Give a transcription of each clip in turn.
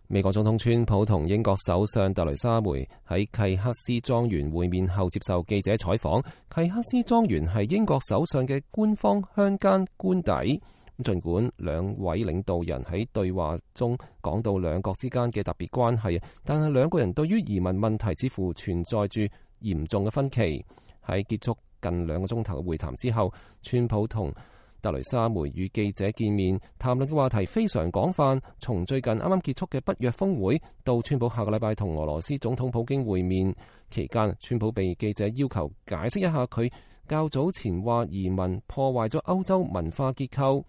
美國總統川普同英國首相特雷莎梅喺契克斯莊園會面後接受記者採訪。契克斯莊園係英國首相嘅官方鄉間官邸。儘管兩位領導人喺對話中講到兩國之間嘅特別關係，但係兩個人對於移民問題似乎存在住嚴重嘅分歧。喺結束近2個鐘頭嘅會談之後，川普同特雷莎梅與記者見面，談論嘅話題非常廣泛，從最近啱啱結束嘅北約峰會到川普下個禮拜同俄羅斯總統普京會面期間，川普被記者要求解釋一下佢較早前話移民破壞咗歐洲文化結構。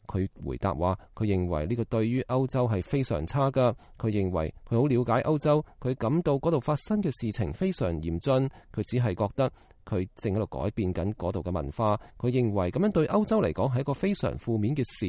佢回答話，佢認為呢個對於歐洲係非常差㗎。佢認為佢好了解歐洲，佢感到嗰度發生嘅事情非常嚴峻，佢只係覺得佢正喺度改變緊嗰度嘅文化。佢認為咁樣對歐洲嚟講係一個非常負面嘅事。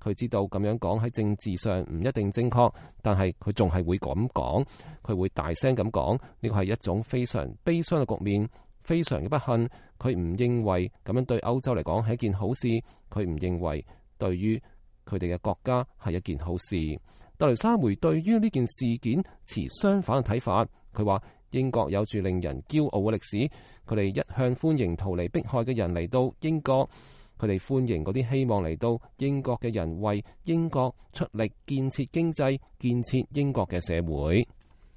佢知道咁樣講喺政治上唔一定正確，但係佢仲係會咁講。佢會大聲咁講，呢個係一種非常悲傷嘅局面，非常嘅不幸。佢唔認為咁樣對歐洲嚟講係一件好事。佢唔認為對於佢哋嘅國家係一件好事。特雷莎梅對於呢件事件持相反嘅睇法。佢話英國有住令人驕傲嘅歷史，佢哋一向歡迎逃離迫害嘅人嚟到英國，佢哋歡迎嗰啲希望嚟到英國嘅人為英國出力建設經濟、建設英國嘅社會。